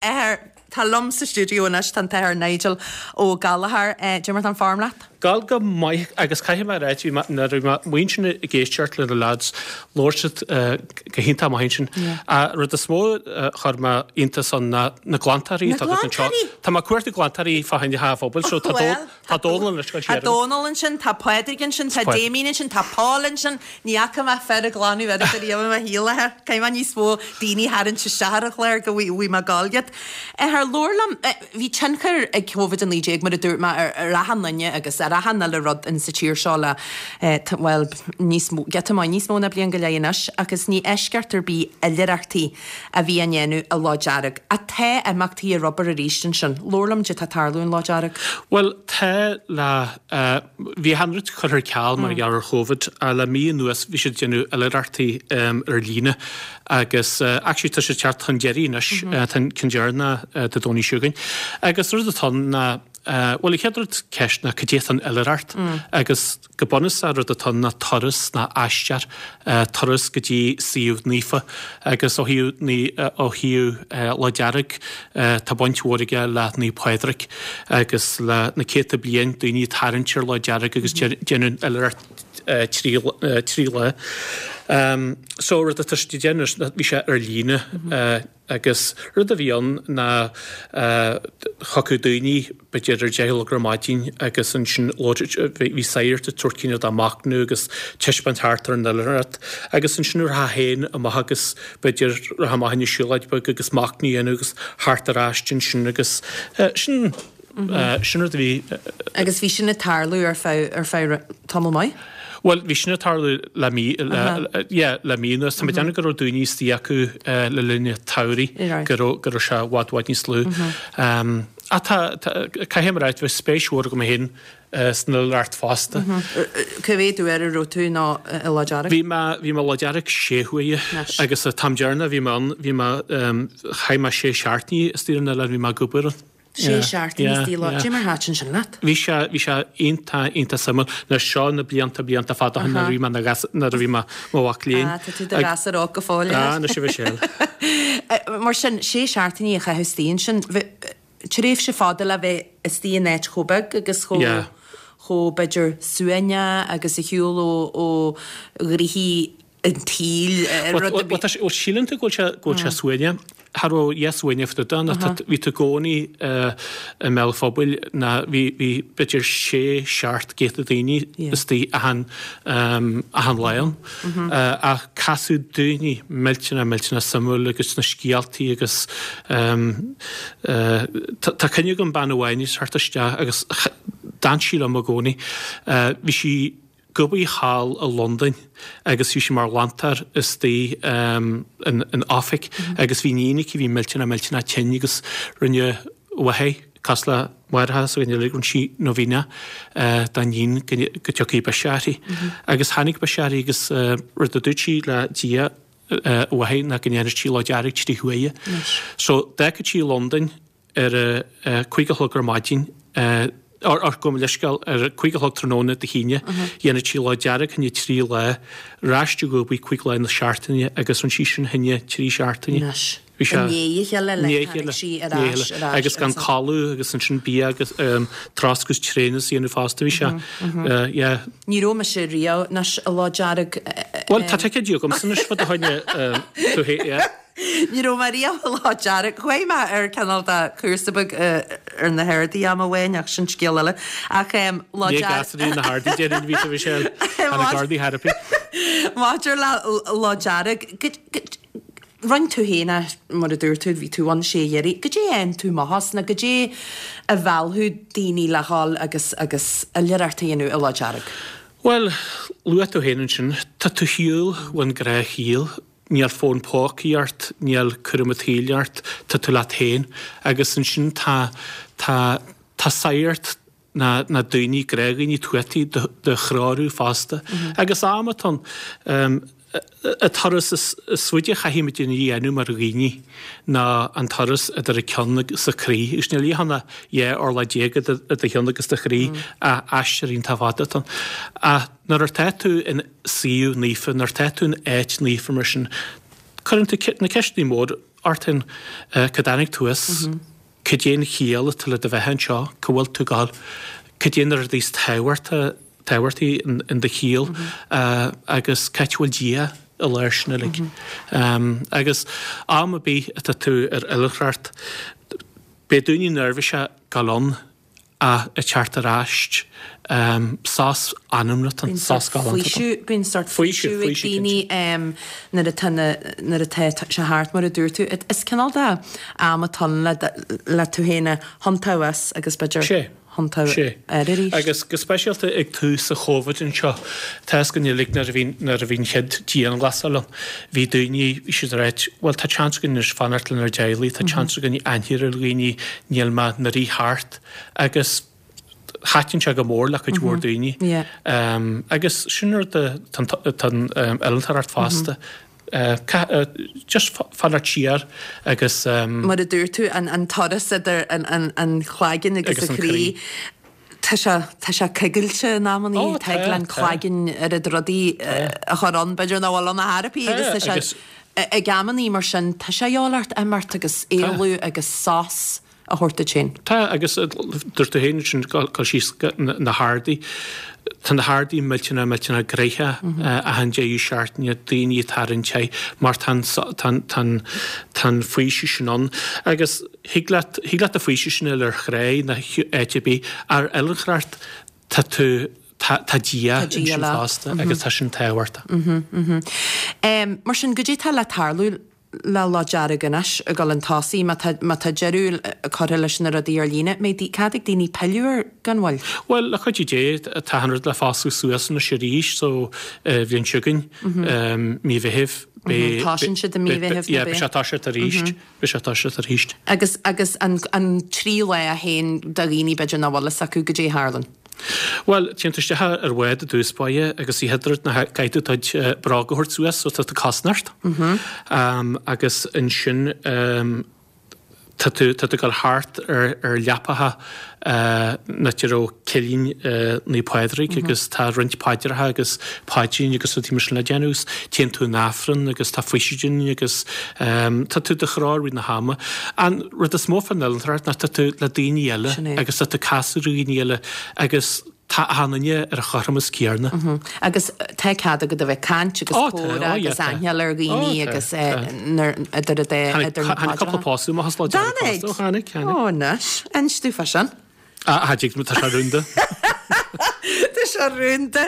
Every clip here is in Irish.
Athair, Tá liom sa stiúideo anois, tá an tAthair Nigel Ó Gallchóir. Cad é mar tá an form leat? Gabháil go maith agus caithfidh mé a ráit, bhí mé, nuair a bhí mé amuigh ansin ag éisteacht le na lads, labhair siad go hiontach maith ansin. An rud is mó a chuir mé iontas ann ná na glantóirí atá agat anseo. Tá mé ag cuartú glantóirí fá choinne an phobail so tá Tá Dónal anois ag Tá Dónal ansin, tá Pádraig ansin, tá Damien ansin, tá Paul ansin. Ní fhaca mé fear ag glanadh oiread ariamh i mo shaol, a Athair. Caithfidh mé níos mó daoine a tharraingt isteach ar an chlár go bhfaighidh mé ag gabháil iad. A Athair, labhair liom, bhí tionchar ag Covid-19, mar a dúirt mé, ar achan duine agus ar achan uile rud in sa tír seo le, bhuel, níos mó, giota maith níos mó ná bliain go leith anois agus ní eisceacht ar bith oilithreachtaí a bhí á ndéanamh i Loch Dearg. Ach tá imeachtaí ar obair arís ansin. Labhair liom cad é tá ag tarlú in Loch Dearg. Bhuel, tá le, bhí achan rud curtha ar ceal mar gheall ar Chóvid ach le mí anuas bhí siad ag déanamh oilithreachtaí ar líne agus actually tá siad ag teacht chun deiridh anois, tá an ceann deireanach Dé Domhnaigh seo chugainn. Agus rud atá ann ná, bhuel an chéad rud ceist ná cad é atá in oilithreacht agus, Go bunúsach rud atá ann ná turas ná aistear, turas go dtí suíomh naofa agus ó thaobh ó thaobh Loch Dearg tá baint mhór aige le Naomh Pádraig agus le na céadta bliain daoine ag tarraingt ar Loch Dearg agus déanamh oilithreacht 3 lá. So rud atá siad ag déanamh anois bhí sé ar líne. Agus rud a bhí ann ná thiocfadh daoine b'fhéidir ar 10 a chlog ar maidin agus ansin bhí sagart ag tabhairt cineál de machnamh agus taispeáint thart ar an oilithreacht agus ansin rachfá féin amach agus b'fhéidir rachfá amach ina siúlóid beag agus machnamh a dhéanamh agus thart ar ais ansin agus sin Sin rud a bhí. Agus bhí sin ag tarlú ar feadh, ar feadh tamall maith? Bhuel, bhí sin ag tarlú le mí, yeah, le mí anuas. Tá mé ag déanamh go raibh daoine istigh acu le linn an tsamhraidh, go raibh, go raibh sé i bhfad, bhfad níos lú. Ach tá, tá, caithfidh mé a ráit, bhí spéis mhór agam féin san oilithreacht fosta. Cá mhéad uair a raibh tú nó i Loch Dearg? Bhí mé, bhí mé i Loch Dearg sé huaire agus an t-am deireanach a bhí mé ann, bhí mé, chaith mé sé seachtainí istigh ar an oileán, bhí mé ag obair ann. Sé seachtainí istigh i Loch. Cad é mar thaitin sin leat? Bhí sé, bhí sé iontach, iontach suimiúil. Anois seo na blianta, blianta fada ó shin nuair a bhí mé ina ghas, nuair a bhí mé i mo mhac léinn. Ah, tá tú i do ghasúr óg go fóill. Ah, anois a Mhichelle. Mar sin, sé seachtainí a chaitheamh istigh ansin, tréimhse fada le bheith istigh in áit chomh beag agus chomh, chomh, b'fhéidir, suaimhneach agus ar shiúl ó, ó ghnoithí an tsaoil, rud a bhí. Bhuel, síleann tú go bhfuil sé, go bhfuil sé suaimhneach. Cha raibh a dhath suaimhneach fá dtaobh de ná tá, bhí tú i gcónaí i mbéal an phobail ná bhí, bhí b'fhéidir sé, seacht gcéadta daoine istigh achan, achan lá ann. Ach casadh daoine millteanach, millteanach suimiúil agus na scéaltaí agus tá, tá cuimhne agam bean amháin ag teacht isteach agus d'fhan sí liom i gcónaí. Bhí sí, ag obair thall i Londain agus bhí sí mar ghlantóir istigh in oifig agus bhí iníon aici a bhí millteanach millteanach tinn agus rinne a mháthair, cosúil le máithreacha s'againn uilig, rinne sí novena dá iníon go dtiocfaidh biseach uirthi. Agus tháinig biseach uirthi agus rud a dúirt sí le Dia a mháthair ná go ndéanfadh sí Lá Dearg trí huaire. So d'fhágfadh sí Londain ar a 5 a chlog ar maidin, or gabh mo leithscéal, ar a 5 a chlog tráthnóna Dé hAoine, dhéanfadh sí Lá Dearg choinne 3 lá, ar ais ag obair 5 lá na seachtaine agus rinne sí sin choinne 3 seachtaine. Anois. Bhí sé. I ndiaidh a chéile le tháinig sí ar ais, ar ais. Agus gan codladh agus ansin bia agus turas agus traenáil a dhéanamh fosta, bhí sé, yeah. Ní raibh mise riamh anois i Loch Dearg. Bhuel, tá ticéidí agamsa anois fá do choinne, tú fhéin, yeah. Ní raibh mé riamh i Loch Dearg. Chuaigh mé ar cineál de chúrsa beag ar na hArdaí am amháin ach sin scéal eile. Ach Loch Dearg. Ní gasraí na hArdaí déarfainn a bhí tú a Mhichelle. Tá na Gardaí thar Maidir le Loch Dearg, rinne tú féin é, mar a dúirt tú, bhí tú ann sé huaire. Goidé a fhaigheann tú amach as nó goidé a mheallfadh daoine le dhul agus agus oilithreacht a dhéanamh i Loch Dearg? Bhuel, luaigh tú féin ansin, tá tú ar shiúl ón ngnáthshaol. Níl fón pócaí ort, níl cúram an tsaoil ort, tá tú leat féin. Agus ansin tá, tá, tá sagart na, na daoine, gnáthdhaoine tuataí do, do threorú fosta. Agus am atá ann, an turas is, is faide a chaithfidh muid a dhéanamh mar dhaoine ná an turas idir an ceann agus an croí. Agus níl a dhath ach 12 orlach idir do cheann agus do chroí, ach aistear iontach fada atá ann. Ach nuair atá tú in. suíomh naofa, nuair atá tú in áit naofa mar sin, cuireann tú na ceisteanna móra. ort féin, cá dtáinig tú as, cad é an chiall atá le do bheith anseo, cá bhfuil tú ag gabháil, cad é na rudaí is tábhachta, tábhachtaí in do shaol agus cá háit a bhfuil Dia i lár sin uilig. Agus am ar bith atá tú ar oilithreacht, beidh daoine neirbhíseach gabháil ann ach ag teacht ar ais, sos anamnach atá ann, sos galánta atá ann. Bíonn sórt faoiseamh ag daoine nuair atá nuair atá sé thart, mar a dúirt tú. Is cineál de am atá ann le tú féin a thiontú as agus b'fhéidir thiontú air arís. Agus go speisialta ag tús an Chóivid anseo, tá fhios againn uilig nuair a bhí nuair a bhí an chéad dianghlasáil ann, bhí daoine, bhí siad ag ráit, bhuel tá seans againn anois fanacht lenár dteaghlaigh, tá seans againn aithne ar dhaoine, níl mé ag rith thart. Agus thaitin sé go mór le cuid mhór daoine. Agus sin rud atá an oilithreacht fosta. Just fanacht siar agus. Mar a dúirt tú, an turas idir an chloigeann agus an croí, tá sé, tá sé coigilte in amannaí, tig le an cloigeann oiread rudaí a chur ann, b'fhéidir nach bhfuil ann ar chor ar bith agus tá sé, ag amannaí mar sin, tá sé a dhíobháil ort imeacht agus éalú agus sos. a thabhairt duit féin. Tá, agus dúirt tú féin ansin gabháil síos na hardaí. Tá na hardaí millteanach, millteanach gnoitheach achan deireadh seachtaine, daoine ag tarraingt air mar tá an, tá an, tá an, tá an faoiseamh sin ann. Agus thig leat, thig leat an faoiseamh sin a fháil ar thráigh nó áit ar bith. Ar oilithreacht tá tú, tá, tá Dia ansin fosta agus tá sin tábhachtach. Mar sin, goidé tá le tarlú le Lá Dearg anois ag dul chun tosaigh, má tá, má tá deireadh curtha leis na rudaí ar líne, mbeidh cead ag daoine pilleadh air gan mhoill? Bhuel, le cuidiú Dé, tá an rud le foscladh suas anois arís, so bhliain seo chugainn, mí Mheithimh, beidh. Tosaíonn siad i mí Mheithimh, nó beidh? Yeah, beidh sé ag toiseacht arís, beidh sé ag toiseacht arís. Agus, agus an, an tríú lá féin do dhaoine b'fhéidir nach bhfuil fhios acu goidé a tharlann? Bhuel, téann tú isteach ar bhád i dtús báire agus an chéad rud ná caithfidh tú do chuid bróga a thabhairt suas so tá tú cosanta ort. Agus ansin tá tú tá tú ag dul thart ar ar leapacha an áit a raibh cillín Naomh Pádraig agus tá roinnt paidreacha agus paidríní agus rudaí mar sin le déanamh agus téann tú in Aifreann agus tá faoisidin agus tá tú i do chró i rith na hama. An rud is mó fán oilithreacht ná tá tú le daoine eile agus tá tú ag casadh ar dhaoine eile agus tá achan duine ar an chothromas céarna. Agus tá cead agat a bheith ag caint agus comhrá agus aithne ar dhaoine agus idir idir na paidreacha. Tháinig cúpla pósadh amach as Lá Dearg fosta. Tháinig? Tháinig, tháinig. Ó anois, inis domh fá sin. Ah, tig, tá sé rúnda. Tá sé rúnda.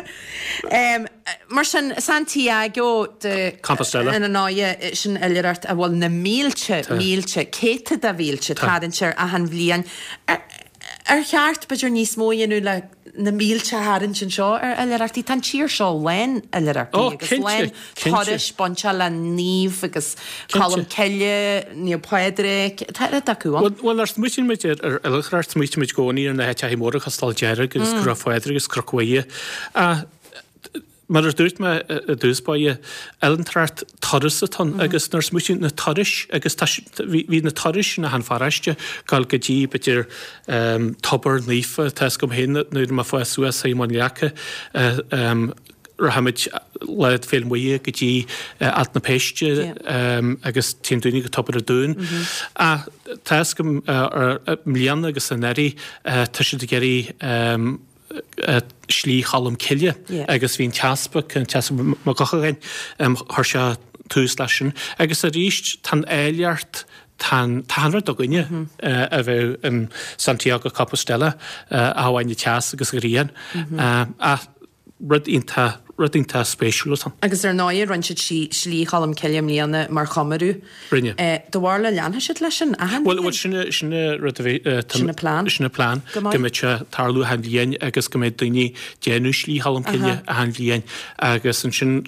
Mar sin, Santiago de Compostela. Ar ndóighe, sin oilithreacht a bhfuil na mílte, mílte, céadta de mhílte tarraingt air achan bhliain. Ar cheart, b'fhéidir, níos mó a dhéanamh le na mílte a tharraingt anseo ar oilithreachtaí? Tá an tír seo lán oilithreachtaí agus lán turais bainteach le naoimh agus Colm Cille, Naomh Pádraig, tá oiread acu ann. Bhuel, nuair a smaoitíonn muid ar oilithreacht, smaoitíonn muid i gcónaí ar na háiteacha móra cosúil le Lá'l Dearg agus Cnoc Phádraig agus Cnoc Mhuire. Ach mar a dúirt mé i dtús báire, oilithreacht turas atá ann agus nuair a smaoitíonn na turais agus tá bhí na turais in achan pharáiste gabháil go dtí b'fhéidir tobar naofa, tá fhios agam féin nuair a bhí mé ag fás suas i mBun Leaca, Rachaimid Lá Féile Muire go dtí Alt na Péiste agus téann daoine go Tobar an Dúin. Ach tá fhios agam i mbliana agus anuraidh tá siad ag iarraidh Slí Cholm Cille agus bhí an t-easpag, an t-easpag Mac Eochagáin, chuir sé tús leis sin. Agus arís tá an áilleacht, tá an, tá an rud againne a bheith in Santiago Compostela ach amháin an teas agus an ghrian. Ach Rud iontach, rud iontach spéisiúil atá ann. Agus ar ndóighe, rinne siad Slí Cholm Cille i mbliana mar chomóradh. Rinne. Do bharúil an leanfaidh siad leis sin achan bhliain? Bhuel, sin, sin an rud a bhí, tá, Sin an plean. Sin an plean. Go maith. Go mbeidh sé ag tarlú achan bhliain agus go mbeidh daoine ag déanamh Slí Cholm Cille achan bhliain agus ansin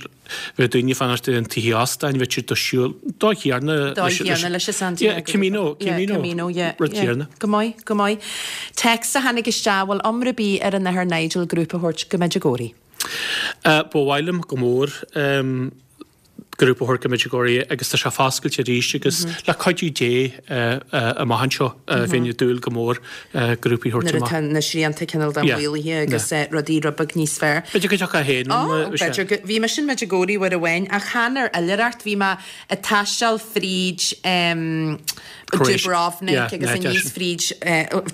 bheadh daoine ag fanacht in tithe óstáin, bheadh siad ag siúl, dóigh chéarna. Dóigh chéarna leis an Santiago. Yeah, Camino, Camino. Camino, yeah. Rud céarna. Go maith, go maith. Text a tháinig isteach, bhfuil iomrá ar bith ar an Athair Nigel grúpa a thabhairt go Medjugorje? Ba mhaith liom go mór. Grúpa a thabhairt go Medjugorje agus tá sé foscailte arís agus le cuidiú Dé amach anseo bheinn ag dúil go mór grúpaí a thabhairt amach. Nuair atá na srianta cineál de maolaithe agus rudaí rud beag níos fearr. B'fhéidir go dtiocfá féin ann. B'fhéidir go, bhí mise in Medjugorje uair amháin ach chan ar oilithreacht, bhí mé ag taisteal fríd Dubrovnik agus aníos fríd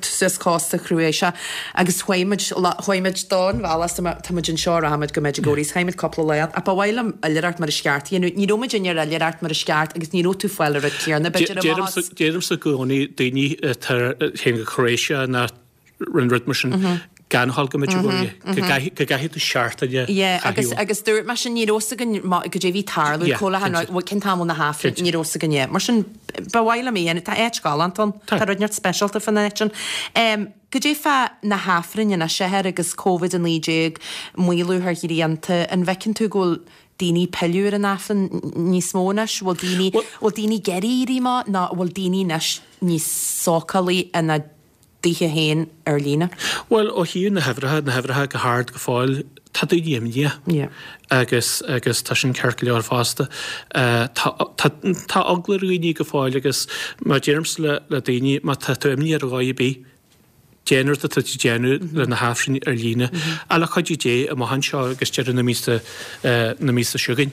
suas cósta Chroatia agus chuaigh muid, chuaigh muid don bhealach so tá muid anseo rachaimid go Medjugorje so chaith muid cúpla lá ann ach ba mhaith liom oilithreacht mar is ceart a dhéanamh. Ní raibh muid ar oilithreacht mar is ceart agus ní raibh tú fáil an rud céanna b'fhéidir amach as. Deirimse i gcónaí daoine atá ag téann go Croatia ná an rud mar sin gan a dhul go Medjugorje, go gcaithfidh tú seachtain a Yeah, agus, agus dúirt mé sin, ní raibh fhios againn goidé bhí tarlú, Yeah, cá le cinnte. cén t-am na hAifrinn, ní raibh fhios againn, yeah. Mar sin, ba mhaith liom é a dhéanamh, tá áit galánta ann, tá rud inteacht speisialta fán áit sin. Goidé fá na hAifrinn anois, a Athair, agus Covid-19, maolú ar shrianta, an bhfeiceann tú go bhfuil daoine ag pilleadh ar an Aifreann níos mó anois? Bhfuil daoine, bhfuil daoine ag iarraidh éirí amach nó bhfuil daoine anois níos sócálaí ina dtithe féin ar líne? Bhuel, ó thaobh na huimhreacha, na huimhreacha go hard go fóill, tá daoine imníoch. Yeah. Agus, agus tá sin ceart go leor fosta. Tá, tá, tá eagla ar dhaoine go fóill agus mar deirimse le, le daoine, má tá tú imníoch ar dhóigh ar bith, déan an rud atá tú ag déanamh le na hAifrinn ar líne. Ach le cuidiú Dé, amach anseo agus deireadh na míosa, na míosa seo chugainn,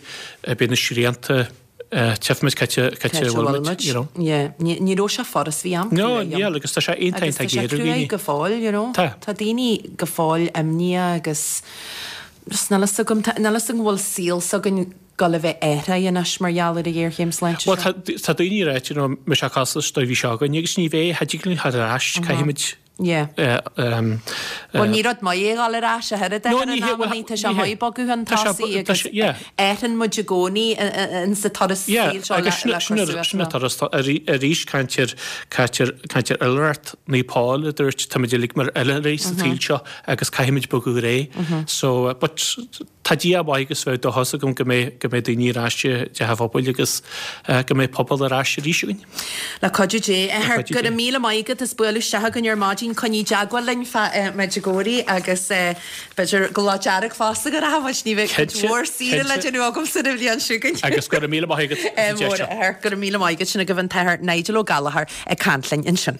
beidh na srianta, Tchífimid cá bhfuil muid, you know. Yeah, ní raibh sé furast, bhí am No, níl, agus tá sé iontach iontach géar ar dhaoine. Agus tá sé cruaidh go fóill, you know. Tá. Tá daoine go fóill imníoch agus just níl fhios agam, níl fhios agam an bhfuil saol s'againn ag dul a bheith athraithe anois mar gheall ar an ghéarchéim sláinte seo. Bhuel, tá, tá daoine ag ráit, you know, mbeidh sé cosúil leis an dóigh a bhí seo againn agus ní bheidh, cha dtig linn theacht ar ais, caithfimid Yeah. Bhuel, ní rud maith é a dhul ar ais ach oiread No, ní hé, bhuel, tá sé maith bogadh chun tosaigh agus athraíonn muid i gcónaí insa turas saoil seo le cur suas. Sin an turas, arís caint ar, caint ar, caint ar oilithreacht, Naomh Pól a dúirt táimid uilig mar oilithrigh sa tsaol seo agus caithfimid bogadar aghaidh. So, but tá Dia maith agus bheadh dóchas agam go mbeidh, go mbeidh daoine ar ais i dTeach an Phobail agus go mbeidh pobal ar ais arís againn. Le cuidiú Dé. A Athair, go raibh míle maith agat as bualadh isteach chugainn ar maidin. Coinnigh i dteagmháil linn fá Medjugorje agus b'fhéidir go Lá Dearg fosta go rachaidh muid. Ní bheidh cuid mhór saoire le déanamh agamsa an bhliain seo chugainn. Agus go raibh míle maith agat as an deis seo. Go raibh míle maith agat. Sin agaibh an tAthair Nigel Ó Gallchóir ag caint linn ansin.